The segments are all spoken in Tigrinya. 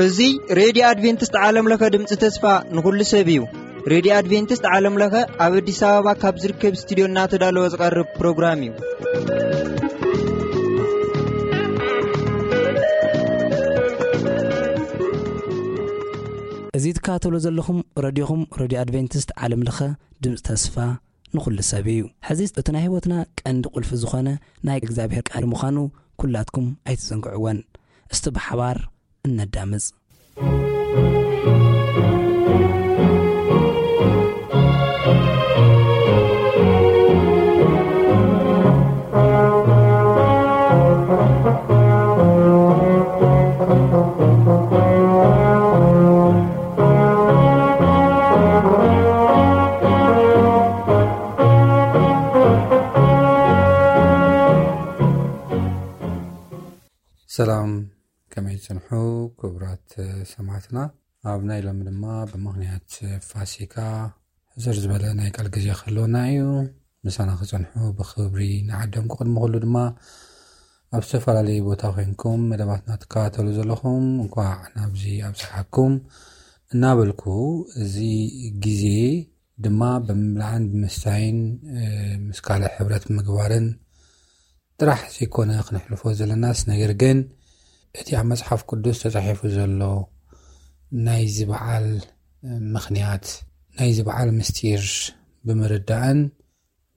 እዚ ሬድዮ ኣድቬንቲስት ዓለም ለኸ ድምፂ ተስፋ ንኹሉ ሰብ እዩ። ሬድዮ ኣድቬንቲስት ዓለም ለኸ ኣብ ኣዲስ ኣበባ ካብ ዝርከብ ስቱዲዮ እናተዳለወ ዝቐርብ ፕሮግራም እዩ። እዚ ትከታተሉ ዘለኹም ረድዮኹም፣ ረድዮ ኣድቬንቲስት ዓለም ለኸ ድምፂ ተስፋ ንኹሉ ሰብ እዩ። ሕዚ እቲ ናይ ህይወትና ቀንዲ ቁልፊ ዝኾነ ናይ እግዚኣብሔር ቃል ምዃኑ ኩላትኩም ኣይትዘንግዕወን። እስቲ ብሓባር እነዳምፅ። ሰላም፣ ከመይ ትጸንሑ ክቡራት ሰማዕትና? ኣብ ናይ ሎሚ ድማ ብምኽንያት ፋሲካ ሕጽር ዝበለ ናይ ቃል ግዜ ክህልወና እዩ። ምሳና ክጸንሑ ብኽብሪ ንዓደምኩ። ቅድሚ ኩሉ ድማ ኣብ ዝተፈላለዩ ቦታ ኮንኩም መደባትና ትከታተሉ ዘለኹም እንኳዕ ናብዚ ኣብጽሓኩም እናበልኩ፣ እዚ ግዜ ድማ ብምብላዕን ብምስታይን፣ እ፣ ምስ ካልእ ሕብረት ምግባርን ጥራሕ ዘይኮነ ክነሕልፎ ዘለናስ፣ ነገር ግን እቲ ኣብ መጽሓፍ ቅዱስ ተጻሒፉ ዘሎ ናይዚ በዓል ምኽንያት፣ ናይዚ በዓል ምስጢር ብምርዳእን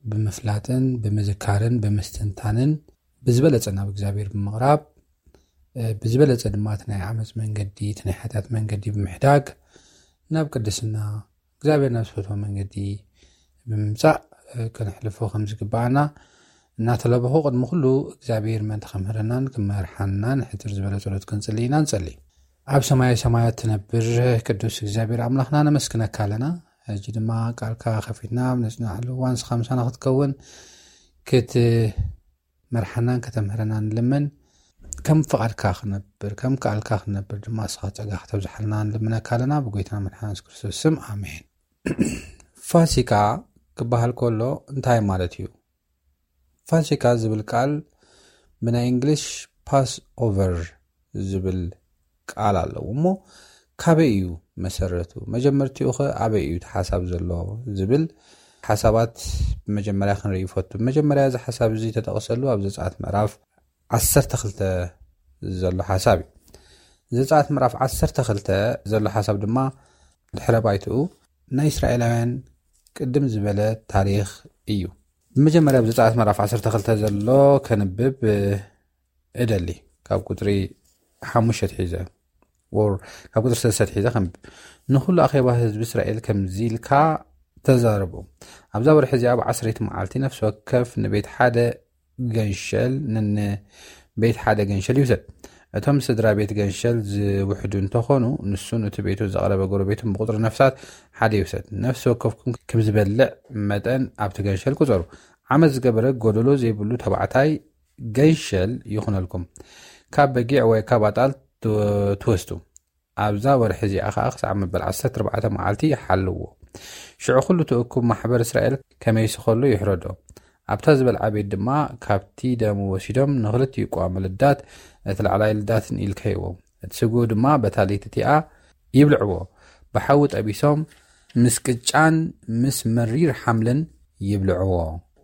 ብምፍላጥን ብምዝካርን ብምስትንታንን ብዝበለጸ ናብ እግዚኣብሔር ብምቕራብ፣ እ፣ ብዝበለጸ ድማ እቲ ናይ ዓመፅ መንገዲ፣ እቲ ናይ ሓጢኣት መንገዲ ብምሕዳግ ናብ ቅድስና እግዚኣብሔር ናብ ዝፈትዎ መንገዲ ብምምጻእ፣ እ፣ ከነሕልፎ ከም ዝግባኣና እናተለበኹ፣ ቅድሚ ኩሉ እግዚኣብሔር ምእንቲ ከምህረናን ክመርሓናን ሕጽር ዝበለ ጸሎት ክንጽሊ ኢና። ንጸሊ። ኣብ ሰማያዊ ሰማያት ትነብር ቅዱስ እግዚኣብሔር ኣምላኽና ነመስግነካ ኣለና። ሕጂ ድማ ቃልካ ከፊትና ኣብ ነጽናዕሉ እዋን ንስኻ ምሳና ክትከውን፣ ክትመርሓናን ከተምህረናን ንልምን። ከም ፍቓድካ ክነብር፣ ከም ቃልካ ክነብር ድማ ንስኻ ጸጋ ከተብዝሓልና ንልምነካ ኣለና። ብጎይታና መድሓና የሱስ ክርስቶስ ስም፣ ኣሜን። ፋሲካ ክበሃል ከሎ እንታይ ማለት እዩ? ፋሲካ ዝብል ቃል ብናይ እንግሊሽ ፓስ ኦቨር ዝብል ቃል ኣለዎ እሞ፣ ካበይ እዩ መሰረቱ? መጀመርቲኡ ኸ ኣበይ እዩ እቲ ሓሳብ ዘሎ? ዝብል ሓሳባት ብመጀመርያ ክንርኢ ይፈቱ። መጀመርያ እዚ ሓሳብ እዚ ተጠቕሰሉ ኣብ ዘጸኣት ምዕራፍ ዓሰርተ ክልተ ዘሎ ሓሳብ እዩ። ዘጸኣት ምዕራፍ ዓሰርተ ክልተ ዘሎ ሓሳብ ድማ ድሕረ ባይትኡ ናይ እስራኤላውያን ቅድም ዝበለ ታሪኽ እዩ። ብመጀመርያ ኣብ ዘጸኣት ምዕራፍ ዓሰርተ ክልተ ዘሎ ከንብብ፣ እ፣ እደሊ። ካብ ቁጽሪ ሓሙሽተ ኣትሒዘ፣ or ካብ ቁጽሪ ሰለስተ ኣትሒዘ ከንብብ። ንኹሉ ኣኼባ ህዝቢ እስራኤል ከምዚ ኢልካ ተዛረቦም። ኣብዛ ወርሒ እዚኣ ብዓሰርይቲ መዓልቲ ነፍሲ ወከፍ ንቤት ሓደ ገንሸል፣ ንንቤት ሓደ ገንሸል ይውሰድ። እቶም ስድራ ቤት ገንሸል ዝውሕዱ እንተኾኑ፣ ንሱን እቲ ቤቱ ዘቕረበ ጎረቤቱን ብቁጽሪ ነፍሳት ሓደ ይውሰድ። ነፍሲ ወከፍኩም ከም ዝበልዕ መጠን ኣብቲ ገንሸል ቁጸሩ። ዓመት ዝገበረ ጎደሎ ዘይብሉ ተባዕታይ ገንሸል ይኹነልኩም። ካብ በጊዕ ወይ ካብ ኣጣል ት-፣ ትወስዱ። ኣብዛ ወርሒ እዚኣ ኸኣ ክሳዕ መበል ዓሰርተ ኣርባዕተ መዓልቲ ይሓልዎ። ሽዑ ኹሉ እቲ እኩብ ማሕበር እስራኤል ከመይሲ ኸሎ ይሕረዶ። ኣብታ ዝበልዓ ቤት ድማ ካብቲ ደሙ ወሲዶም ንኽልቲኡ ቅዋም ልዳት፣ እቲ ላዕላይ ልዳትን ኢልከይዎ። እቲ ስግኡ ድማ በታ ለይቲ እቲኣ ይብልዕዎ። ብሓዊ ጠቢሶም ምስ ቅጫን ምስ መሪር ሓምልን ይብልዕዎ።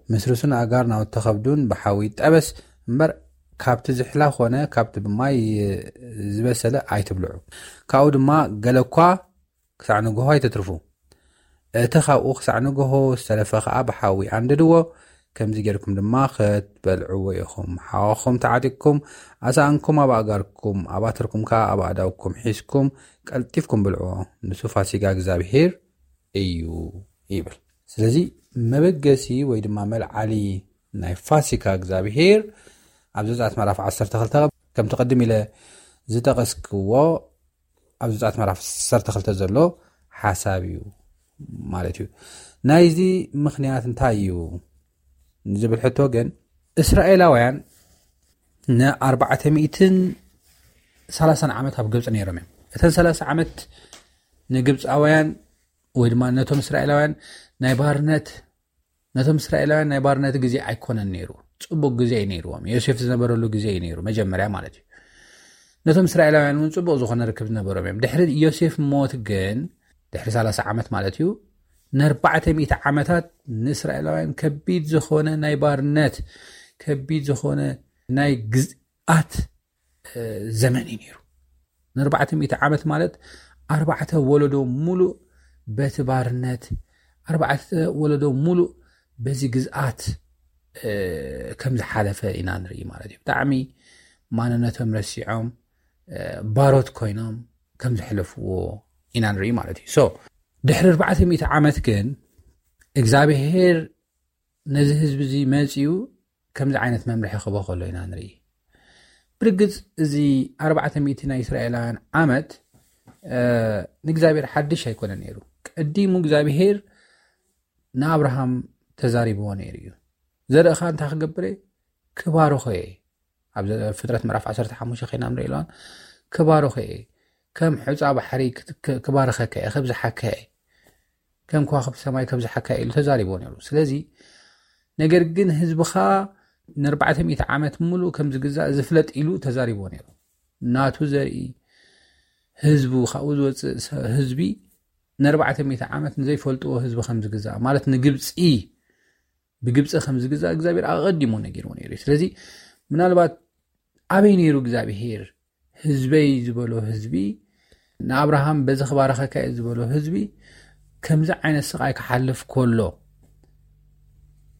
ምስ ርእሱን ኣእጋር ናውቲ ኸብዱን ብሓዊ ይጠበስ እምበር፣ ካብቲ ዝሕላ ኾነ ካብቲ ብማይ ዝበሰለ ኣይትብልዑ። ካብኡ ድማ ገለ እኳ ክሳዕ ንግሆ ኣይተትርፉ። እቲ ኻብኡ ክሳዕ ንግሆ ዝተረፈ ኸኣ ብሓዊ ኣንድድዎ። ከምዚ ጌርኩም ድማ ክትበልዕዎ ኢኹም። ሓዋኹም ተዓጢቕኩም፣ ኣሳእንኩም ኣብ ኣእጋርኩም፣ ኣባትርኩም ከኣ ኣብ ኣእዳውኩም ሒዝኩም ቀልጢፍኩም ብልዕዎ። ንሱ ፋሲጋ እግዚኣብሄር እዩ ይብል። ስለዚ መበገሲ ወይ ድማ መልዓሊ ናይ ፋሲካ እግዚኣብሄር ኣብ ዘጸኣት ምዕራፍ ዓሰርተ ክልተ ከምቲ ቅድም ኢለ ዝጠቐስክዎ ኣብ ዘጸኣት ምዕራፍ ዓሰርተ ክልተ ዘሎ ሓሳብ እዩ ማለት እዩ። ናይዚ ምኽንያት እንታይ እዩ ዝብል ሕቶ ግን፣ እስራኤላውያን ንኣርባዕተ ሚእትን ሰላሳን ዓመት ኣብ ግብጺ ነይሮም እዮም። እተን ሰላሳ ዓመት ንግብጻውያን ወይ ድማ ነቶም እስራኤላውያን ናይ ባርነት ነቶም እስራኤላውያን ናይ ባርነት ግዜ ኣይኮነን ነይሩ። ጽቡቅ ግዜ እዩ ነይርዎም። ዮሴፍ ዝነበረሉ ግዜ እዩ ነይሩ፣ መጀመርያ ማለት እዩ። ነቶም እስራኤላውያን እውን ጽቡቅ ዝኾነ ርክብ ዝነበሮም እዮም። ድሕሪ ዮሴፍ ሞት ግን፣ ድሕሪ ሰላሳ ዓመት ማለት እዩ፣ ንኣርባዕተ ሚእቲ ዓመታት ንእስራኤላውያን ከቢድ ዝኾነ ናይ ባርነት፣ ከቢድ ዝኾነ ናይ ግዝኣት ዘመን እዩ ነይሩ። ንኣርባዕተ ሚእቲ ዓመት ማለት ኣርባዕተ ወለዶ ሙሉእ በቲ ባርነት፣ ኣርባዕተ ወለዶ ሙሉእ በዚ ግዝኣት ከም ዝሓለፈ ኢና ንርኢ ማለት እዩ። ብጣዕሚ ማንነቶም ረሲዖም፣ ባሮት ኮይኖም ከም ዝሕለፍዎ ኢና ንርኢ ማለት እዩ። ድሕሪ ኣርባዕተ ሚእቲ ዓመት ግን እግዚኣብሄር ነዚ ህዝቢ እዚ መጺኡ ከምዚ ዓይነት መምርሒ ክህቦ ከሎ ኢና ንርኢ። ብርግጽ እዚ ኣርባዕተ ሚእቲ ናይ እስራኤላውያን ዓመት ንእግዚኣብሔር ሓድሽ ኣይኮነ ነይሩ። ቀዲሙ እግዚኣብሔር ንኣብርሃም ተዛሪብዎ ነይሩ እዩ። ዘርእኻ እንታይ ክገብር እየ? ክባርኾ እየ። ኣብ ፍጥረት ምዕራፍ ዓሰርተ ሓሙሽተ ኸይና ንርኢ ኣለዋን፣ ክባርኾ እየ፣ ከም ሑፃ ባሕሪ ክባርኸካ እየ፣ ከብዝሓካ እየ፣ ከም ከዋክብቲ ሰማይ ከብዝሓካ እየ ኢሉ ተዛሪቦ ነይሩ። ስለዚ ነገር ግን ህዝብኻ ንኣርባዕተ ሚእቲ ዓመት ሙሉእ ከም ዝግዛእ ዝፍለጥ ኢሉ ተዛሪቦ ነይሩ። ናቱ ዘርኢ ህዝቡ፣ ካብኡ ዝወፅእ ህዝቢ ንኣርባዕተ ሚእቲ ዓመት ንዘይፈልጥዎ ህዝቢ ከም ዝግዛእ ማለት ንግብፂ ብግብፂ ከም ዝግዛእ እግዚኣብሔር ኣቐዲሙ ነጊርዎ ነይሩ እዩ። ስለዚ ምናልባት ኣበይ ነይሩ እግዚኣብሔር ህዝበይ ዝበሎ ህዝቢ ንኣብርሃም በዚ ክባረኸካ እየ ዝበሎ ህዝቢ ከምዚ ዓይነት ስቓይ ክሓልፍ ከሎ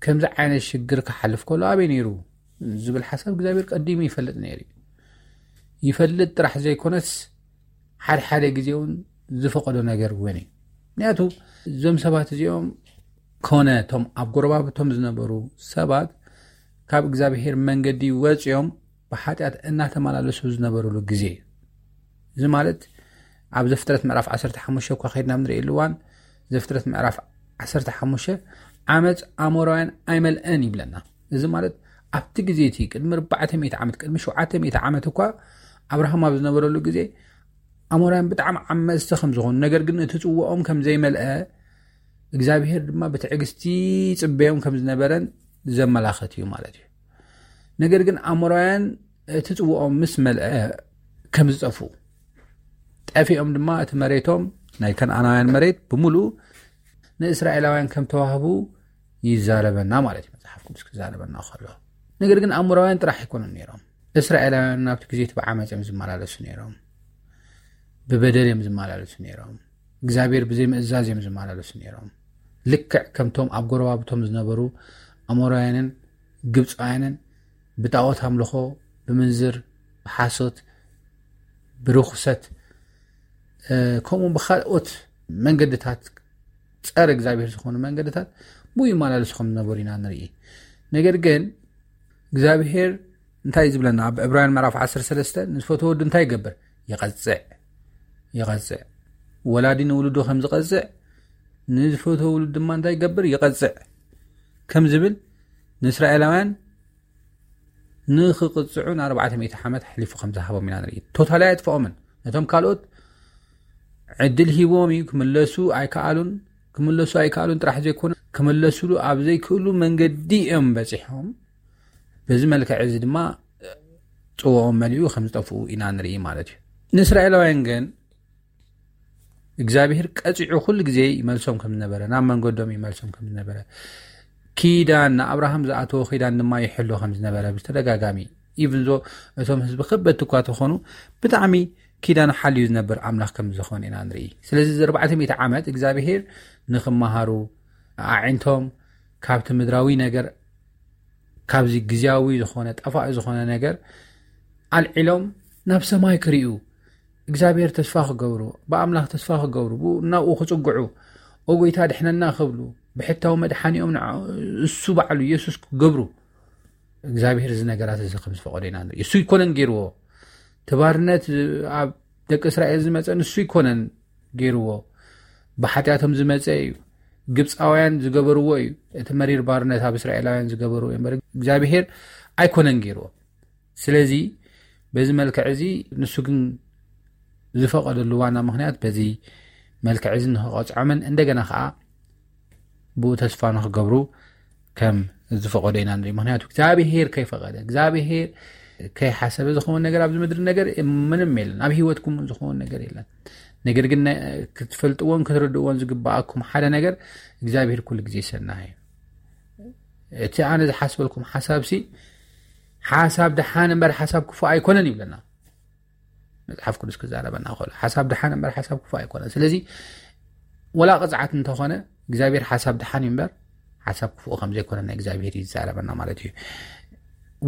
ከምዚ ዓይነት ሽግር ክሓልፍ ከሎ ኣበይ ነይሩ ዝብል ሓሳብ እግዚኣብሔር ቀዲሙ ይፈልጥ ነይሩ እዩ። ይፈልጥ ጥራሕ ዘይኮነስ ሓድሓደ ግዜ እውን ዝፈቐዶ ነገር እውን እዩ። ምክንያቱ እዞም ሰባት እዚኦም ኮነ እቶም ኣብ ጎረባብቶም ዝነበሩ ሰባት ካብ እግዚኣብሔር መንገዲ ወፂኦም ብሓጢኣት እናተመላለሱ ዝነበሩሉ ግዜ እዩ። እዚ ማለት ኣብ ዘፍጥረት ምዕራፍ ዓሰርተ ሓሙሽተ እኳ ከይድና ንርእየሉ እዋን ዘፍጥረት ምዕራፍ ዓሰርተ ሓሙሽተ ዓመፅ ኣሞራውያን ኣይመልአን ይብለና። እዚ ማለት ኣብቲ ግዜ እቲ ቅድሚ ኣርባዕተ ሚእቲ ዓመት ቅድሚ ሸውዓተ ሚእቲ ዓመት እኳ ኣብርሃም ኣብ ዝነበረሉ ግዜ ኣሞራውያን ብጣዕሚ ዓመፅቲ ከም ዝኾኑ ነገር ግን እቲ ፅዋኦም ከም ዘይመልአ እግዚኣብሔር ድማ ብትዕግስቲ ይፅበዮም ከም ዝነበረን ዘመላኸት እዩ ማለት እዩ። ነገር ግን ኣሞራውያን እቲ ፅዋኦም ምስ መልአ ከም ዝጠፍኡ ጠፊኦም ድማ እቲ መሬቶም ናይ ከነኣናውያን መሬት ብምሉኡ ንእስራኤላውያን ከም ተዋህቡ ይዛረበና ማለት እዩ መፅሓፍ ቅዱስ ክዛረበና ከሎ። ነገር ግን ኣሞራውያን ጥራሕ ኣይኮኑን ነይሮም። እስራኤላውያን ናብቲ ግዜ እቲ ብዓመፅ እዮም ዝመላለሱ ነይሮም። ብበደል እዮም ዝመላለሱ ነይሮም። እግዚኣብሔር ብዘይምእዛዝ እዮም ዝመላለሱ ነይሮም። ልክዕ ከምቶም ኣብ ጎረባብቶም ዝነበሩ ኣሞራውያንን ግብፃውያንን ብጣዖት ኣምልኾ፣ ብምንዝር፣ ብሓሶት፣ ብርኹሰት ከምኡ ብካልኦት መንገድታት ጸረ እግዚኣብሔር ዝኾኑ መንገድታት ብኡ ይመላለሱ ከም ዝነበሩ ኢና ንርኢ። ነገር ግን እግዚኣብሔር እንታይ እዩ ዝብለና? ኣብ ዕብራውያን ምዕራፍ ዓሰርተ ሰለስተ ንዝፈትዎ ወዱ እንታይ ይገብር? ይቐጽዕ። ይቐጽዕ። ወላዲ ንውሉዱ ከም ዝቐጽዕ ንዝፈትዎ ውሉድ ድማ እንታይ ይገብር? ይቐጽዕ ከም ዝብል ንእስራኤላውያን ንኽቕጽዑ ንኣርባዕተ ሚእቲ ዓመት ኣሕሊፉ ከም ዝሃቦም ኢና ንርኢ። ቶታሊ ኣየጥፍኦምን። ነቶም ካልኦት ዕድል ሂቦም እዩ። ክምለሱ ኣይከኣሉን። ክምለሱ ኣይከኣሉን ጥራሕ ዘይኮነ ክምለሱሉ ኣብ ዘይክእሉ መንገዲ እዮም በጺሖም። በዚ መልክዕ እዚ ድማ ጽዋኦም መሊኡ ከም ዝጠፍኡ ኢና ንርኢ ማለት እዩ። ንእስራኤላውያን ግን እግዚኣብሔር ቀጺዑ ኩሉ ግዜ ይመልሶም ከም ዝነበረ፣ ናብ መንገዶም ይመልሶም ከም ዝነበረ፣ ኪዳን ንኣብርሃም ዝኣተዎ ኪዳን ድማ ይሕሎ ከም ዝነበረ ብተደጋጋሚ ኢቭን ዞ እቶም ህዝቢ ከበድቲ እኳ ተኾኑ ብጣዕሚ ኪዳን ሓልዩ ዝነብር ኣምላኽ ከም ዝኾነ ኢና ንርኢ። ስለዚ እዚ ኣርባዕተ ሚእቲ ዓመት እግዚኣብሔር ንኽመሃሩ ኣዒንቶም ካብቲ ምድራዊ ነገር ካብዚ ግዝያዊ ዝኾነ ጠፋኢ ዝኾነ ነገር ኣልዒሎም ናብ ሰማይ ክርእዩ እግዚኣብሔር ተስፋ ክገብሩ ብኣምላኽ ተስፋ ክገብሩ ብኡ ናብኡ ክጽግዑ ኦጎይታ ድሕነና ክብሉ ብሕታዊ መድሓኒኦም ንዓ እሱ ባዕሉ የሱስ ክገብሩ እግዚኣብሔር እዚ ነገራት እዚ ከም ዝፈቐዶ ኢና ንርኢ። እሱ ይኮነን ገይርዎ። እቲ ባርነት ኣብ ደቂ እስራኤል ዝመፀ ንሱ ይኮነን ገይርዎ። ብሓጢኣቶም ዝመፀ እዩ። ግብፃውያን ዝገበርዎ እዩ። እቲ መሪር ባርነት ኣብ እስራኤላውያን ዝገበርዎ እዩ እምበር እግዚኣብሔር ኣይኮነን ገይርዎ። ስለዚ በዚ መልክዕ እዚ ንሱ ግን ዝፈቐደሉ ዋና ምክንያት በዚ መልክዕ እዚ ንክቐፅዖምን እንደገና ከዓ ብኡ ተስፋ ንክገብሩ ከም ዝፈቐዶ ኢና ንርኢ። ምክንያቱ እግዚኣብሄር ከይፈቐደ፣ እግዚኣብሄር ከይሓሰበ ዝኸውን ነገር ኣብዚ ምድሪ ነገር ምንም የለን። ኣብ ህይወትኩም እውን ዝኸውን ነገር የለን። ነገር ግን ክትፈልጥዎን ክትርድእዎን ዝግባኣኩም ሓደ ነገር እግዚኣብሄር ኩሉ ግዜ ሰናይ እዩ። እቲ ኣነ ዝሓስበልኩም ሓሳብ ሲ ሓሳብ ደሓን እምበር ሓሳብ ክፉእ ኣይኮነን ይብለና መፅሓፍ ቅዱስ ክዛረበና ከሎ። ሓሳብ ደሓን እምበር ሓሳብ ክፉእ ኣይኮነን። ስለዚ ወላ ቅፅዓት እንተኾነ እግዚኣብሔር ሓሳብ ደሓን እዩ እምበር ሓሳብ ክፉእ ከም ዘይኮነ ናይ እግዚኣብሔር ይዛረበና ማለት እዩ።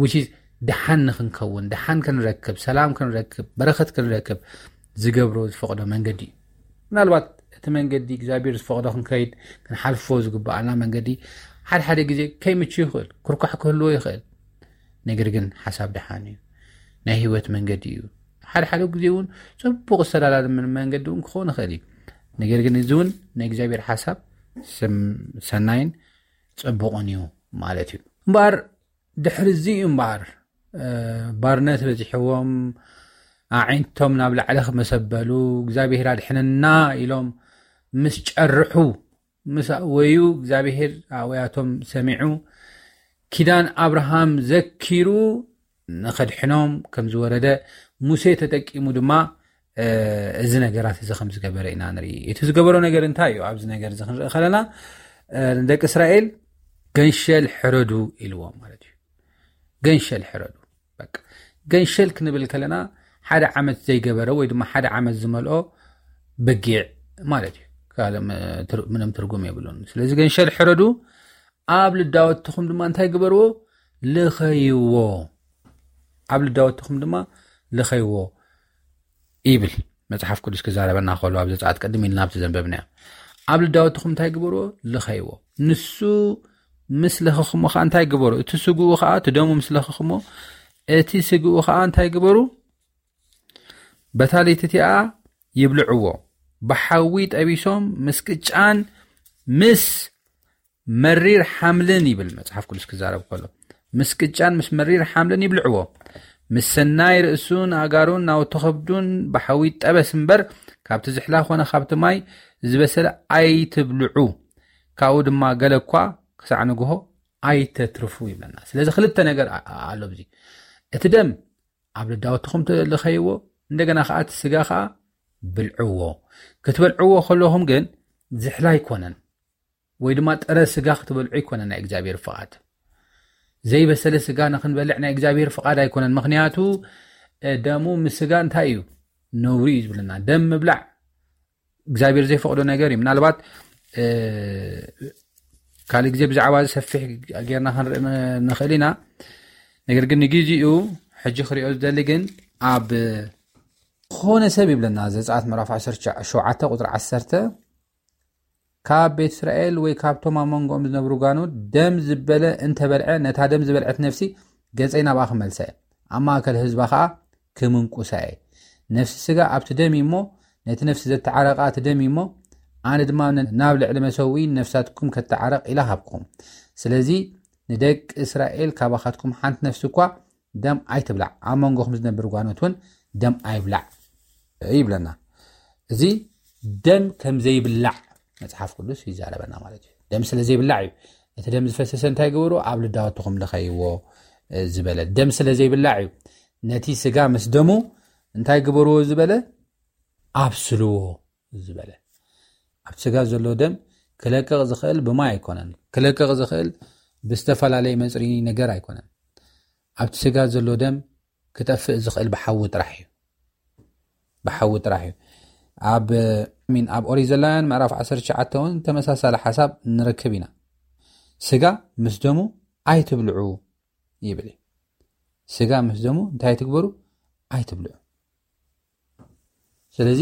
Which is ደሓን ንክንከውን፣ ደሓን ክንረክብ፣ ሰላም ክንረክብ፣ በረኸት ክንረክብ ዝገብሮ ዝፈቕዶ መንገዲ እዩ። ምናልባት እቲ መንገዲ እግዚኣብሔር ዝፈቕዶ ክንከይድ ክንሓልፎ ዝግባኣና መንገዲ ሓደ ሓደ ግዜ ከይምቹ ይኽእል፣ ክርኳሕ ክህልዎ ይኽእል። ነገር ግን ሓሳብ ደሓን እዩ። ናይ ህይወት መንገዲ እዩ። ሓደ ሓደ ግዜ እውን ፅቡቕ ዝተዳላለ ምን- መንገዲ እውን ክኸውን ይኽእል እዩ። ነገር ግን እዚ እውን ናይ እግዚኣብሔር ሓሳብ ስም- ሰናይን ፅቡቕን እዩ ማለት እዩ። እምበኣር ድሕሪ እዚ እዩ እምበኣር እ፣ ባርነት በዚሕዎም ኣዒንቶም ናብ ላዕሊ ክመሰበሉ እግዚኣብሔር ኣድሕነና ኢሎም ምስ ጨርሑ ምስ ኣወዩ እግዚኣብሔር ኣውያቶም ሰሚዑ ኪዳን ኣብርሃም ዘኪሩ ንኸድሕኖም ከም ዝወረደ ሙሴ ተጠቂሙ ድማ እ፣ እዚ ነገራት እዚ ከም ዝገበረ ኢና ንርኢ። እቲ ዝገበሮ ነገር እንታይ እዩ? ኣብዚ ነገር እዚ ክንርኢ ከለና እ፣ ንደቂ እስራኤል ገንሸል ሕረዱ ኢልዎም ማለት እዩ። ገንሸል ሕረዱ። በቃ ገንሸል ክንብል ከለና ሓደ ዓመት ዘይገበረ ወይ ድማ ሓደ ዓመት ዝመልኦ በጊዕ ማለት እዩ። ካልእ ም- ትር- ምንም ትርጉም የብሉን። ስለዚ ገንሸል ሕረዱ፣ ኣብ ልዳወትኹም ድማ እንታይ ግበርዎ? ልኸይዎ። ኣብ ልዳወትኹም ድማ ልኸይዎ ይብል መጽሓፍ ቅዱስ ክዛረበና ከሎ ኣብ ዘጸኣት ቅድም ኢልና ኣብቲ ዘንበብና ኣብ ልዳወትኹም እንታይ ግበርዎ? ልኸይዎ። ንሱ ምስ ለኸኽሞ ከዓ እንታይ ግበሩ? እቲ ስግኡ ከዓ እቲ ደሙ ምስ ለኸኽሞ እቲ ስግኡ ከዓ እንታይ ግበሩ? በታ ለይቲ እቲኣ ይብልዕዎ፣ ብሓዊ ጠቢሶም ምስ ቅጫን ምስ መሪር ሓምልን ይብል መጽሓፍ ቅዱስ ክዛረብ ከሎ፣ ምስ ቅጫን ምስ መሪር ሓምልን ይብልዕዎ። ምስ ሰናይ ርእሱን ኣጋሩን ናውቲ ከብዱን ብሓዊ ጠበስ እምበር ካብቲ ዝሕላ ኮነ ካብቲ ማይ ዝበሰለ ኣይትብልዑ። ካብኡ ድማ ገለ እኳ ክሳዕ ንግሆ ኣይተትርፉ ይብለና። ስለዚ ክልተ ነገር ኣ- ኣሎ ኣብዚ። እቲ ደም ኣብ ልዳወትኹም ትልኸይዎ፣ እንደገና ከዓ እቲ ስጋ ከዓ ብልዕዎ። ክትበልዕዎ ከለኹም ግን ዝሕላ ኣይኮነን፣ ወይ ድማ ጥረ ስጋ ክትበልዑ ኣይኮነን ናይ እግዚኣብሔር ፍቓድ። ዘይበሰለ ስጋ ንክንበልዕ ናይ እግዚኣብሔር ፍቓድ ኣይኮነን። ምክንያቱ እ፣ ደሙ ምስ ስጋ እንታይ እዩ? ነውሪ እዩ ዝብለና። ደም ምብላዕ እግዚኣብሔር ዘይፈቕዶ ነገር እዩ። ምናልባት እ፣ ካልእ ግዜ ብዛዕባ እዚ ሰፊሕ ጌርና ክንርኢ ን- ንኽእል ኢና። ነገር ግን ንግዜኡ ሕጂ ክሪኦ ዝደሊ ግን ኣብ ዝኾነ ሰብ ይብለና ዘጸኣት ምዕራፍ ዓሰርተ ሸውዓተ ቁጽሪ ዓሰርተ ካብ ቤት እስራኤል ወይ ካብቶም ኣብ መንጎኦም ዝነብሩ ጓኖት ደም ዝበለ እንተበልዐ ነታ ደም ዝበልዐት ነፍሲ ገጸይ ናብኣ ክመልሳ እየ፣ ኣብ ማእከል ህዝባ ኸኣ ክምንቁሳ እየ። ነፍሲ ስጋ ኣብቲ ደም እዩ እሞ ነቲ ነፍሲ ዘተዓረቓ እቲ ደም እዩ እሞ ኣነ ድማ ናብ ልዕሊ መሰውኢ ነፍሳትኩም ከተዓረቕ ኢላ ሃብኩም። ስለዚ ንደቂ እስራኤል ካባኻትኩም ሓንቲ ነፍሲ እኳ ደም ኣይትብላዕ፣ ኣብ መንጎኹም ዝነብር ጓኖት እውን ደም ኣይብላዕ ይብለና። እዚ ደም ከም ዘይብላዕ መጽሓፍ ቅዱስ ይዛረበና ማለት እዩ። ደም ስለ ዘይብላዕ እዩ። እቲ ደም ዝፈሰሰ እንታይ ግበሩ? ኣብ ልዳወትኹም ልኸይዎ ዝበለ ደም ስለ ዘይብላዕ እዩ። ነቲ ስጋ ምስ ደሙ እንታይ ግበርዎ ዝበለ? ኣብስልዎ ዝበለ። ኣብ ስጋ ዘሎ ደም ክለቅቕ ዝኽእል ብማይ ኣይኮነን። ክለቅቕ ዝኽእል ብዝተፈላለየ መፅሪ ነገር ኣይኮነን። ኣብቲ ስጋ ዘሎ ደም ክጠፍእ ዝኽእል ብሓዊ ጥራሕ እዩ። ብሓዊ ጥራሕ እዩ። ኣብ ሚን ኣብ ኦሪት ዘላውያን ምዕራፍ ዓሰርተ ትሽዓተ እውን ተመሳሳሊ ሓሳብ ንረክብ ኢና። ስጋ ምስ ደሙ ኣይትብልዑ ይብል እዩ። ስጋ ምስ ደሙ እንታይ ትግበሩ? ኣይትብልዑ። ስለዚ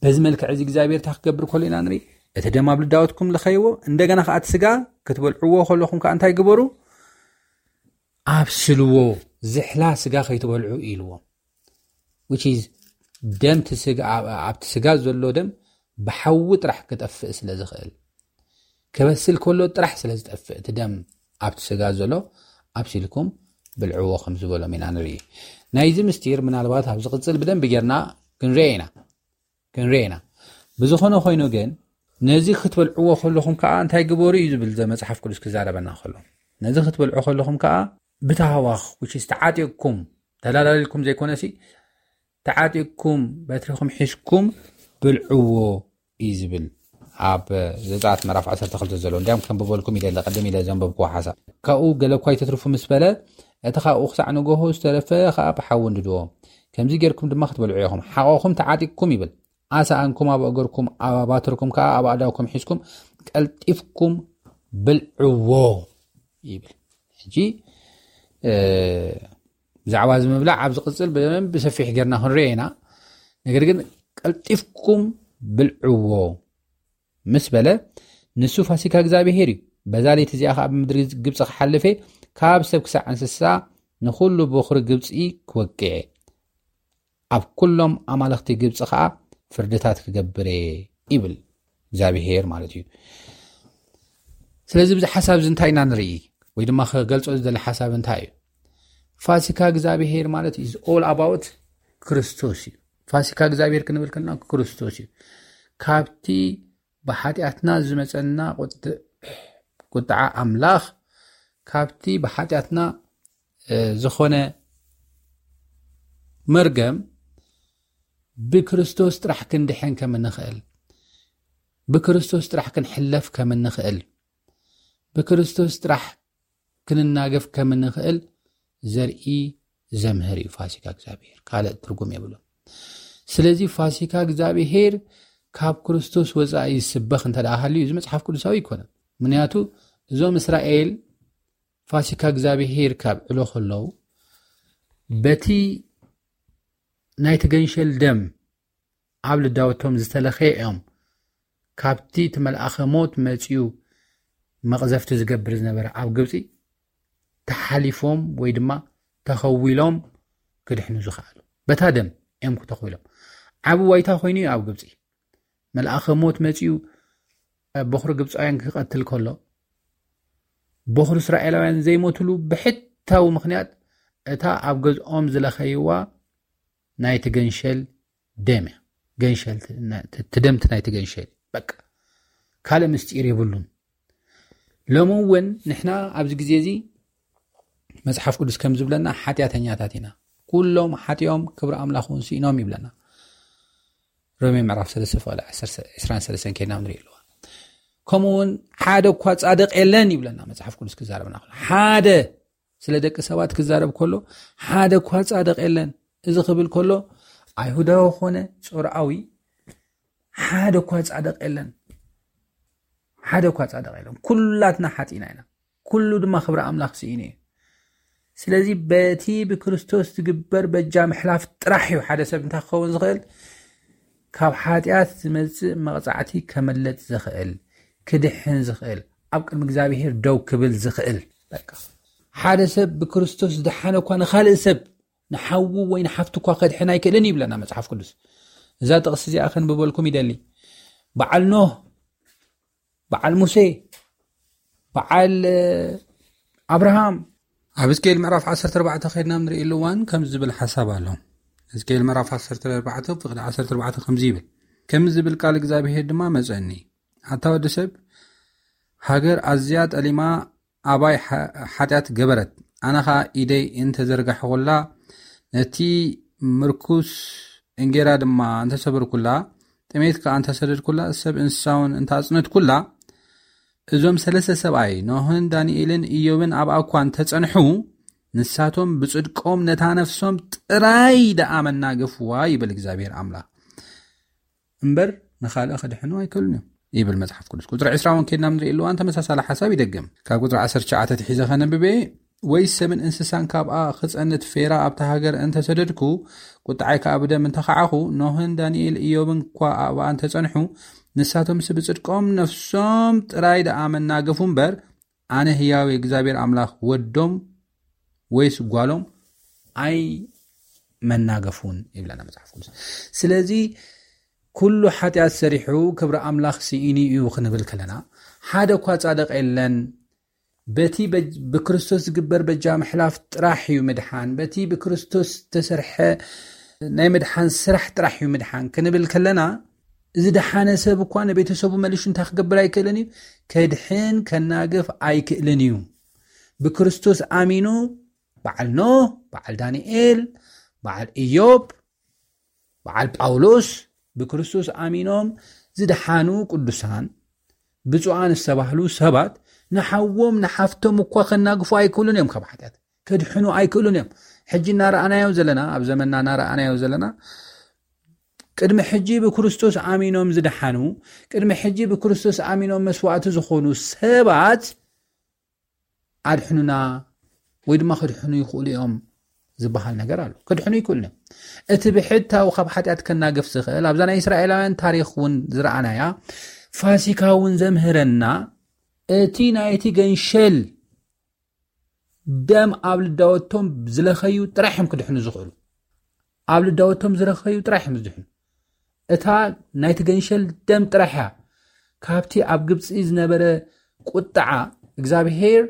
በዚ መልክዕ እዚ እግዚኣብሔር እንታይ ክገብር ከሎ ኢና ንርኢ? እቲ ደም ኣብ ልዳወትኩም ልኸይዎ፣ እንደገና ከዓ እቲ ስጋ ክትበልዕዎ ከለኹም ከዓ እንታይ ግበሩ? ኣብስልዎ፣ ዝሕላ ስጋ ከይትበልዑ ኢልዎም። Which is ደም እቲ ስጋ ኣብቲ ስጋ ዘሎ ደም ብሓዊ ጥራሕ ክጠፍእ ስለ ዝኽእል፣ ክበስል ከሎ ጥራሕ ስለ ዝጠፍእ እቲ ደም ኣብቲ ስጋ ዘሎ ኣብሲልኩም ብልዕዎ ከም ዝበሎም ኢና ንርኢ። ናይዚ ምስጢር ምናልባት ኣብ ዝቕጽል ብደንብ ጌርና ክንርኦ ኢና ክንርኦ ኢና። ብዝኾነ ኮይኑ ግን ነዚ ክትበልዕዎ ከለኹም ከዓ እንታይ ግበሩ እዩ ዝብል ዘ መጽሓፍ ቅዱስ ክዛረበና ከሎ፣ ነዚ ክትበልዑ ከለኹም ከዓ ብታህዋኽ፣ which is ተዓጢቕኩም፣ ተላላሊልኩም ዘይኮነሲ፣ ተዓጢቕኩም በትሪኹም ሒዝኩም ብልዕዎ እዩ ዝብል። ኣብ ዘጸኣት ምዕራፍ ዓሰርተ ክልተ ዘሎ እንዲያም ከም ብበልኩም ኢለ ቀደም ኢለ ዘንበብኩዎ ሓሳብ። ካብኡ ገለ እኳ ይተትርፉ ምስ በለ፣ እቲ ካብኡ ክሳዕ ንጎሆ ዝተረፈ ከዓ ብሓዊ እንድድዎ። ከምዚ ጌርኩም ድማ ክትበልዑ ኢኹም። ሓቆኹም ተዓጢቕኩም ይብል። ኣሳኣንኩም ኣብ እግርኩም፣ ኣብ ኣባትርኩም ከዓ ኣብ ኣእዳውኩም ሒዝኩም ቀልጢፍኩም ብልዕዎ ይብል። ሕጂ፣ እ፣ ብዛዕባ እዚ ምብላዕ ኣብ ዝቕጽል ብደንብ ብሰፊሕ ጌርና ክንሪኦ ኢና። ነገር ግን ቀልጢፍኩም ብልዕዎ ምስ በለ፣ ንሱ ፋሲካ እግዚኣብሄር እዩ። በዛ ለይቲ እዚኣ ከዓ ብምድሪ ግብፂ ክሓልፍ እየ፣ ካብ ሰብ ክሳዕ እንስሳ ንኹሉ በኹሪ ግብፂ ክወቅዕ እየ። ኣብ ኩሎም ኣማልኽቲ ግብፂ ከዓ ፍርድታት ክገብር እየ ይብል እግዚኣብሄር ማለት እዩ። ስለዚ ብዚ ሓሳብ እዚ እንታይ ኢና ንርኢ? ወይ ድማ ክገልጾ ዝደሊ ሓሳብ እንታይ እዩ? ፋሲካ እግዚኣብሄር ማለት is all about ክርስቶስ እዩ። ፋሲካ እግዚኣብሄር ክንብል ከለና ክርስቶስ እዩ። ካብቲ ብሓጢኣትና ዝመጸና ቁጥ-፣ ቁጥዓ ኣምላኽ፣ ካብቲ ብሓጢኣትና፣ እ፣ ዝኾነ መርገም ብክርስቶስ ጥራሕ ክንድሕን ከም እንኽእል፣ ብክርስቶስ ጥራሕ ክንሕለፍ ከም እንኽእል፣ ብክርስቶስ ጥራሕ ክንናገፍ ከም እንኽእል ዘርኢ ዘምህር እዩ ፋሲካ እግዚኣብሄር። ካልእ ትርጉም የብሉን። ስለዚ ፋሲካ እግዚኣብሄር ካብ ክርስቶስ ወጻኢ ይስበኽ እንተ ደኣ ሃልዩ፣ እዚ መጽሓፍ ቅዱሳዊ ኣይኮነን። ምኽንያቱ እዞም እስራኤል ፋሲካ እግዚኣብሄር ካብ ዕሎ ከለዉ፣ በቲ ናይቲ ገንሸል ደም ኣብ ልዳውቶም ዝተለኸየ እዮም። ካብቲ እቲ መልኣኸ ሞት መጺኡ መቕዘፍቲ ዝገብር ዝነበረ ኣብ ግብጺ ተሓሊፎም ወይ ድማ ተኸዊሎም ክድሕኑ ዝኸኣሉ። በታ ደም እዮም ክተኽዊሎም። ዓቢ ዋይታ ኮይኑ እዩ ኣብ ግብጺ። መልኣኸ ሞት መጺኡ በኹሪ ግብጻውያን ክቐትል ከሎ፣ በኹሪ እስራኤላውያን ዘይሞትሉ ብሕታዊ ምኽንያት እታ ኣብ ገዝኦም ዝለኸይዋ ናይቲ ገንሸል ደም እያ። ገንሸል ት-፣ ና-፣ ት-፣ ትደምቲ ናይቲ ገንሸል። በቃ። ካልእ ምስጢር የብሉን። ሎሚ እውን ንሕና ኣብዚ ግዜ እዚ መጽሓፍ ቅዱስ ከም ዝብለና ሓጢኣተኛታት ኢና። ኩሎም ሓጢኦም ክብሪ ኣምላኽ እውን ስኢኖም ይብለና። ሮሜ ምዕራፍ ሰለስተ ፍቕዲ ዕስራን ሰለስተን ከይድና ንርኢ ኣለዋ። ከምኡ እውን ሓደ እኳ ጻድቕ የለን ይብለና መጽሓፍ ቅዱስ ክዛረበና ከሎ። ሓደ ስለ ደቂ ሰባት ክዛረብ ከሎ፣ ሓደ እኳ ጻድቕ የለን። እዚ ክብል ከሎ፣ ኣይሁዳዊ ኾነ ጾርዓዊ ሓደ እኳ ጻድቕ የለን። ሓደ እኳ ጻድቕ የለን። ኩላትና ሓጢእና ኢና። ኩሉ ድማ ክብሪ ኣምላኽ ስኢኑ እዩ። ስለዚ በቲ ብክርስቶስ ዝግበር በጃ ምሕላፍ ጥራሕ እዩ ሓደ ሰብ እንታይ ክኸውን ዝኽእል? ካብ ሓጢኣት ዝመጽእ መቕጻዕቲ ከመለጥ ዝኽእል፣ ክድሕን ዝኽእል፣ ኣብ ቅድሚ እግዚኣብሄር ደው ክብል ዝኽእል። በቃ። ሓደ ሰብ ብክርስቶስ ዝደሓነ እኳ ንኻልእ ሰብ፣ ንሓዉ ወይ ንሓፍቲ እኳ ከድሕን ኣይክእልን ይብለና መጽሓፍ ቅዱስ። እዛ ጥቕሲ እዚኣ ከንብበልኩም ይደሊ። በዓል ኖህ፣ በዓል ሙሴ፣ በዓል፣ እ፣ ኣብርሃም። ኣብ ሕዝቅኤል ምዕራፍ ዓሰርተ ኣርባዕተ ከይድና ንርእየሉ እዋን ከምዚ ዝብል ሓሳብ ኣሎ። ሕዝቅኤል ምዕራፍ ዓሰርተ ኣርባዕተ ፍቕዲ ዓሰርተ ኣርባዕተ ከምዚ ይብል። ከምዚ ዝብል ቃል እግዚኣብሄር ድማ መጸኒ። ኣታ ወዲ ሰብ፣ ሃገር ኣዝያ ጠሊማ ኣባይ ሓ-፣ ሓጢኣት ገበረት። ኣነ ኸኣ ኢደይ እንተ ዘርጋሕኹላ፣ ነቲ ምርኩስ እንጌራ ድማ እንተ ሰበርኩላ፣ ጥሜት ከኣ እንተ ሰደድኩላ፣ ሰብ እንስሳ እውን እንተ ኣጽነትኩላ፣ እዞም ሰለስተ ሰብኣይ፣ ኖህን ዳንኤልን ኢዮብን ኣብኣ እኳ እንተ ጸንሑ፣ ንሳቶም ብጽድቆም ነታ ነፍሶም ጥራይ ደኣ መናገፍዋ፣ ይብል እግዚኣብሔር ኣምላኽ። እምበር ንኻልእ ክድሕኑ ኣይክእሉን እዮም፣ ይብል መጽሓፍ ቅዱስ። ቁጽሪ ዕስራ እውን ከይድና ንርኢ ኣለዋን ተመሳሳሊ ሓሳብ ይደግም። ካብ ቁጽሪ ዓሰርተ ትሽዓተ ትሒዘ ከነብበ፣ ወይ ሰብን እንስሳን ካብኣ ክጸንት ፌራ ኣብታ ሃገር እንተ ሰደድኩ፣ ቁጥዓይ ከኣ ብደም እንተ ኸዓኹ፣ ኖህን ዳንኤል ኢዮብን እኳ ኣብኣ እንተ ጸንሑ፣ ንሳቶምስ ብጽድቆም ነፍሶም ጥራይ ደኣ መናገፉ እምበር፣ ኣነ ህያው እግዚኣብሔር ኣምላኽ ወዶም ወይስ ጓሎም ኣይመናገፉን ይብለና መጽሓፍ ቅዱስ። ስለዚ ኩሉ ሓጢኣት ሰሪሑ ክብሪ ኣምላኽ ስኢኑ እዩ ክንብል ከለና፣ ሓደ እኳ ጻድቕ የለን። በቲ በ-፣ ብክርስቶስ ዝግበር በጃ ምሕላፍ ጥራሕ እዩ ምድሓን። በቲ ብክርስቶስ ዝተሰርሐ ናይ ምድሓን ስራሕ ጥራሕ እዩ ምድሓን ክንብል ከለና፣ ዝደሓነ ሰብ እኳ ንቤተሰቡ መሊሹ እንታይ ክገብር ኣይክእልን እዩ? ከድሕን ከናግፍ ኣይክእልን እዩ። ብክርስቶስ ኣሚኑ በዓል ኖህ፣ በዓል ዳንኤል፣ በዓል ኢዮብ፣ በዓል ጳውሎስ፣ ብክርስቶስ ኣሚኖም ዝደሓኑ ቅዱሳን ብፁዓን ዝተባህሉ ሰባት ንሓዎም ንሓፍቶም እኳ ከናግፉ ኣይክእሉን እዮም። ካብ ሓጢኣት ከድሕኑ ኣይክእሉን እዮም። ሕጂ እናረኣናዮ ዘለና፣ ኣብ ዘመንና እናረኣናዮ ዘለና፣ ቅድሚ ሕጂ ብክርስቶስ ኣሚኖም ዝደሓኑ፣ ቅድሚ ሕጂ ብክርስቶስ ኣሚኖም መስዋዕቲ ዝኾኑ ሰባት ኣድሕኑና ወይ ድማ ከድሕኑ ይኽእሉ እዮም ዝበሃል ነገር ኣሎ። ከድሕኑ ይክእሉ እዮም። እቲ ብሕታዊ ካብ ሓጢኣት ከናግፍ ዝኽእል ኣብዛ ናይ እስራኤላውያን ታሪኽ እውን ዝረኣናያ ፋሲካ እውን ዘምህረና፣ እቲ ናይቲ ገንሸል ደም ኣብ ልዳወቶም ዝለኸዩ ጥራሕ እዮም ክድሕኑ ዝኽእሉ። ኣብ ልዳወቶም ዝለኸዩ ጥራሕ እዮም ዝድሕኑ። እታ ናይቲ ገንሸል ደም ጥራሕ እያ ካብቲ ኣብ ግብፂ ዝነበረ ቁጥዓ እግዚኣብሄር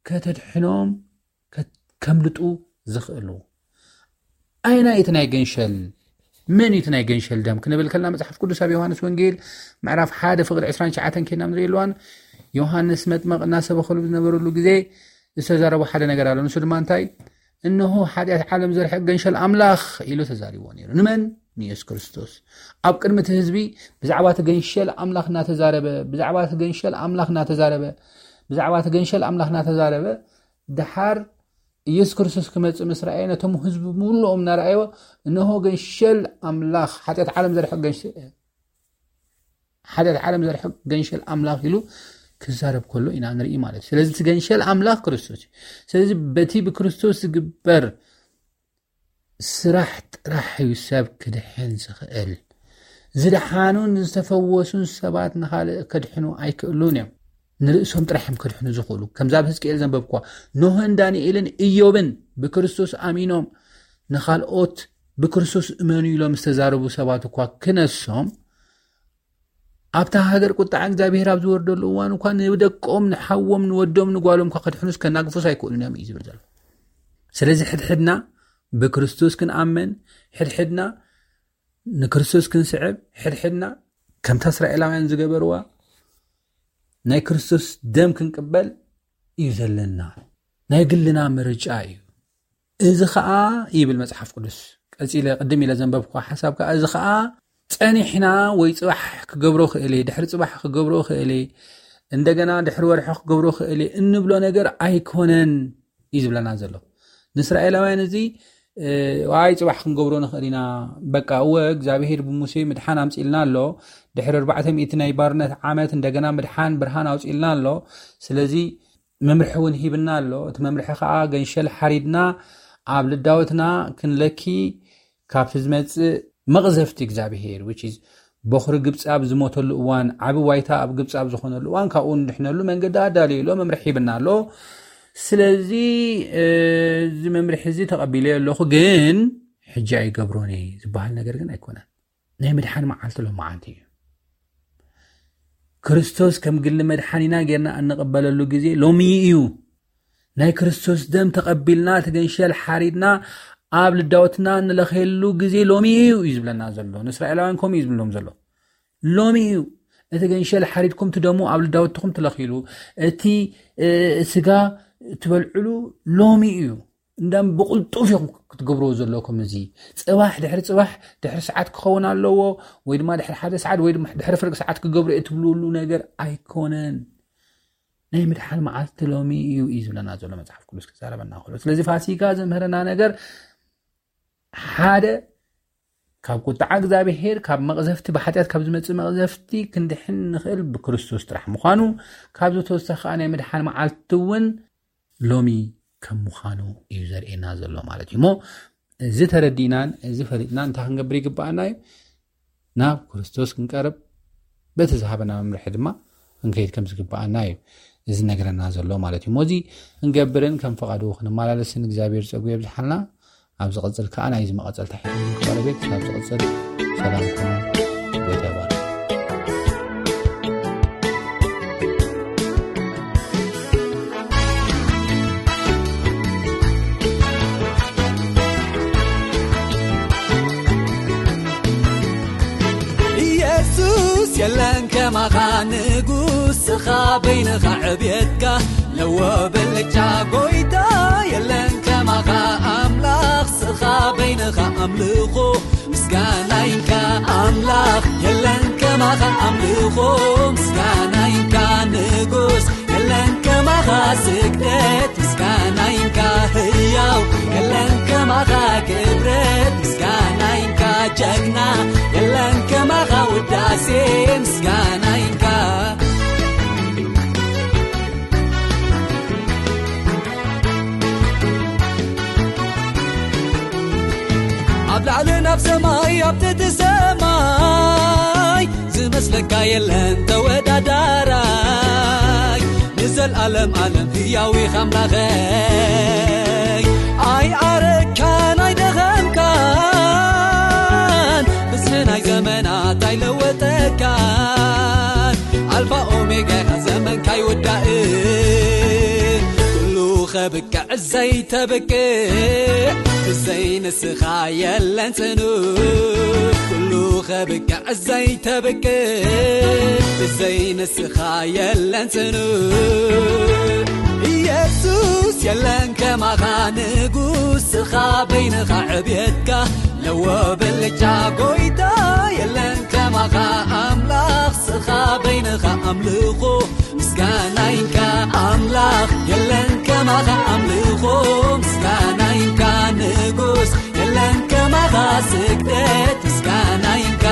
ከተድሕኖም ከ-፣ ከምልጡ ዝኽእሉ። ኣየናይ እቲ ናይ ገንሸል፣ መን እዩ እቲ ናይ ገንሸል ደም ክንብል ከለና፣ መጽሓፍ ቅዱስ ኣብ ዮሃንስ ወንጌል ምዕራፍ ሓደ ፍቕዲ ዕስራን ትሽዓተን ኬድና ንርኢ ኣለዋን። ዮሃንስ መጥመቕ እናሰበኸሉ ዝነበረሉ ግዜ ዝተዛረቦ ሓደ ነገር ኣሎ። ንሱ ድማ እንታይ? "እንሆ ሓጢኣት ዓለም ዘርሕቕ ገንሸል ኣምላኽ" ኢሉ ተዛሪብዎ ነይሩ። ንመን? ንየሱስ ክርስቶስ። ኣብ ቅድሚ እቲ ህዝቢ ብዛዕባ እቲ ገንሸል ኣምላኽ እናተዛረበ፣ ብዛዕባ እቲ ገንሸል ኣምላኽ እናተዛረበ፣ ብዛዕባ እቲ ገንሸል ኣምላኽ እናተዛረበ፣ ደሓር ኢየሱስ ክርስቶስ ክመጽእ ምስ ረኣየ፣ ነቶም ህዝቢ ምሉኦም እናረኣይዎ፣ "እንሆ ገንሸል ኣምላኽ፣ ሓጢኣት ዓለም ዘርሕቕ ገንሸል፣ ሓጢኣት ዓለም ዘርሕቕ ገንሸል ኣምላኽ" ኢሉ ክዛረብ ከሎ ኢና ንርኢ ማለት እዩ። ስለዚ እቲ ገንሸል ኣምላኽ ክርስቶስ እዩ። ስለዚ በቲ ብክርስቶስ ዝግበር ስራሕ ጥራሕ እዩ ሰብ ክድሕን ዝኽእል። ዝደሓኑን ዝተፈወሱን ሰባት ንኻልእ ከድሕኑ ኣይክእሉን እዮም። ንርእሶም ጥራሕ እዮም ከድሕኑ ዝኽእሉ። ከምዛ ኣብ ህዝቅኤል ዘንበብኳ፣ ኖህን ዳንኤልን ኢዮብን ብክርስቶስ ኣሚኖም ንኻልኦት ብክርስቶስ እመኑ ኢሎም ዝተዛረቡ ሰባት እኳ ክነሶም፣ ኣብታ ሃገር ቁጣዓ እግዚኣብሔር ኣብ ዝወርደሉ እዋን እኳ ንደቆም፣ ንሓዎም፣ ንወዶም፣ ንጓሎም እኳ ከድሕኑስ ከናግፉስ ኣይክእሉን እዮም እዩ ዝብል ዘሎ። ስለዚ ሕድሕድና ብክርስቶስ ክንኣምን፣ ሕድሕድና ንክርስቶስ ክንስዕብ፣ ሕድሕድና ከምታ እስራኤላውያን ዝገበርዋ ናይ ክርስቶስ ደም ክንቅበል እዩ ዘለና። ናይ ግልና ምርጫ እዩ። እዚ ኸኣ ይብል መጽሓፍ ቅዱስ፣ ቀጺለ ቅድም ኢለ ዘንበብኩ ሓሳብ ከኣ፣ እዚ ኸኣ ጸኒሕና ወይ ጽባሕ ክገብሮ ክእል እየ፣ ድሕሪ ጽባሕ ክገብሮ ክእል እየ፣ እንደገና ድሕሪ ወርሒ ክገብሮ ክእል እየ እንብሎ ነገር ኣይኮነን እዩ ዝብለና ዘሎ። ንእስራኤላውያን እዚ፣ እ፣ ዋይ ጽባሕ ክንገብሮ ንኽእል ኢና፣ በቃ እወ እግዚኣብሄር ብሙሴ ምድሓን ኣምጺልና ኣሎ፣ ድሕሪ ኣርባዕተ ሚእቲ ናይ ባርነት ዓመት እንደገና ምድሓን ብርሃን ኣውጺልና ኣሎ፣ ስለዚ መምርሒ እውን ሂብና ኣሎ። እቲ መምርሒ ኸኣ ገንሸል ሓሪድና ኣብ ልዳወትና ክንለኪ ካብቲ ዝመጽእ መቕዘፍቲ እግዚኣብሄር፣ which is በኹሪ ግብጺ ኣብ ዝሞተሉ እዋን፣ ዓቢ ዋይታ ኣብ ግብጺ ኣብ ዝኾነሉ እዋን ካብኡ ንድሕነሉ መንገዲ ኣዳልዩ ኣሎ፣ መምርሒ ሂብና ኣሎ። ስለዚ፣ እ፣ እዚ መምርሒ እዚ ተቐቢለዮ ኣለኹ፣ ግን ሕጂ ኣይገብሮን እየ ዝበሃል ነገር ግን ኣይኮነን። ናይ ምድሓን መዓልቲ ሎመዓንቲ እዩ። ክርስቶስ ከም ግሊ መድሓኒና ጌርና እንቕበለሉ ግዜ ሎሚ እዩ። ናይ ክርስቶስ ደም ተቐቢልና፣ እቲ ገንሸል ሓሪድና፣ ኣብ ልዳወትና እንለኸየሉ ግዜ ሎሚ እዩ እዩ ዝብለና ዘሎ። ንእስራኤላውያን ከምኡ እዩ ዝብሎም ዘሎ። ሎሚ እዩ። እቲ ገንሸል ሓሪድኩም ትደሙ ኣብ ልዳወትኩም ትለኽይሉ፣ እቲ፣ እ፣ ስጋ ትበልዕሉ ሎሚ እዩ። እንዳም ብቕልጡፍ ኢኹም ክትገብርዎ ዘለኩም። እዚ ጽባሕ ድሕሪ ጽባሕ ድሕሪ ሰዓት ክኸውን ኣለዎ፣ ወይ ድማ ድሕሪ ሓደ ሰዓት፣ ወይ ድማ ድሕሪ ፍርቂ ሰዓት ክገብሮ እየ ትብልሉ ነገር ኣይኮነን። ናይ ምድሓን መዓልቲ ሎሚ እዩ እዩ ዝብለና ዘሎ መጽሓፍ ቅዱስ ክዛረበና ከሎ። ስለዚ ፋሲካ ዘምህረና ነገር ሓደ፣ ካብ ቁጥዓ እግዚኣብሄር፣ ካብ መቕዘፍቲ፣ ብሓጢኣት ካብ ዝመጽእ መቕዘፍቲ ክንድሕን ንኽእል ብክርስቶስ ጥራሕ ምዃኑ፣ ካብዚ ተወሳኺ ከኣ ናይ ምድሓን መዓልቲ እውን ሎሚ ከም ምዃኑ እዩ ዘርእየና ዘሎ ማለት እዩ። እሞ እዚ ተረዲእናን እዚ ፈሊጥናን እንታይ ክንገብር ይግብኣና እዩ? ናብ ክርስቶስ ክንቀርብ፣ በቲ ዝሃበና መምርሒ ድማ ክንከይድ ከም ዝግብኣና እዩ እዚ ነገረና ዘሎ ማለት እዩ። እሞ እዚ ክንገብርን ከም ፈቓዱ ክንመላለስን እግዚኣብሔር ጸጉ የብዝሓልና። ኣብ ዝቕጽል ከኣ ናይዚ መቐጸልታ ሒዝኩም ክቐርብ እየ። ክሳብ ዝቕጽል ሰላም ኩኑ። ጎይታ ይባርክ። የለን ከማኻ ንጉስ፣ ስኻ በይንኻ ዕብየትካ ለዎ ብልጫ ጎይታ። የለን ከማኻ ኣምላኽ፣ ስኻ በይንኻ ኣምልኾ ምስጋናይንካ ኣምላኽ። የለን ከማኻ ኣምልኾ ምስጋናይንካ ንጉስ፣ የለን ከማኻ ስግደት ምስጋናይንካ ህያው፣ የለን ከማኻ ክብረት ምስጋናይንካ ጀግና፣ የለን ከማኻ ውዳሴ ምስጋናይንካ። ኣብ ላዕሊ ናብ ሰማይ ኣብ ትሕቲ ሰማይ ዝመስለካ የለን ተወዳዳራይ፣ ንዘልኣለም ኣለም ህያው ኢኻ ኣምላኸይ። ኣይኣረካን ኣይደኸምካን፣ ብዝሒ ናይ ዘመናት ኣይለወጠካን። ኣልፋ ኦሜጋ ኢኻ፣ ዘመንካ ኣይውዳእን። ኩሉ ኸብቅዕ ዘይተብቅዕ፣ ብዘይ ንስኻ የለን ጽኑዕ። ኩሉ ኸብቅዕ ዘይተብቅዕ፣ ብዘይ ንስኻ የለን ጽኑዕ። ኢየሱስ የለን ከማኻ ንጉስ፣ ስኻ በይንኻ ዕብየትካ ለዎ ብልጫ ጎይታ። የለን ከማኻ ኣምላኽ፣ ስኻ በይንኻ ኣምልኾ ምስጋናይንካ ኣምላኽ። የለን ከማኻ ኣምልኾ ምስጋናይንካ ንጉስ፣ የለን ከማኻ ስግደት ምስጋናይንካ።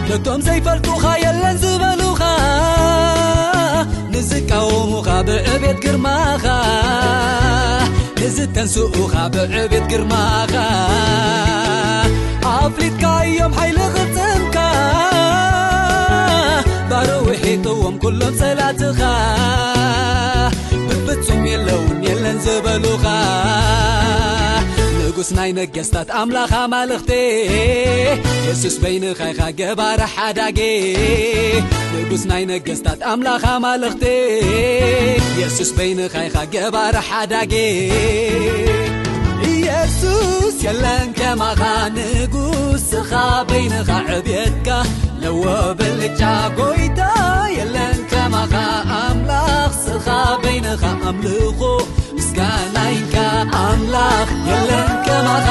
ነቶም ዘይፈልጡኻ የለን ዝበሉኻ፣ ንዝቃወሙኻ ብዕቤት ግርማኻ፣ ንዝተንስኡኻ ብዕቤት ግርማኻ፣ ኣፍሊጥካ እዮም ሓይሊ ቅልጽምካ፣ ባሮ ውሒጥዎም ኩሎም ጸላትኻ። ብፍጹም የለውን የለን ዝበሉኻ፣ ንጉስ ናይ ነገስታት ኣምላኽ ኣማልኽቲ፣ የሱስ በይንኻ ኢኻ ገባር ሓዳጊ። ንጉስ ናይ ነገስታት ኣምላኽ ኣማልኽቲ፣ የሱስ በይንኻ ኢኻ ገባር ሓዳጊ። ኢየሱስ የለን ከማኻ ንጉስ፣ ስኻ በይንኻ ዕብየትካ ለዎ ብልጫ ጎይታ። የለን ከማኻ ኣምላኽ፣ ስኻ በይንኻ ኣምልኾ ምስጋናይንካ ኣምላኽ። የለን ከማኻ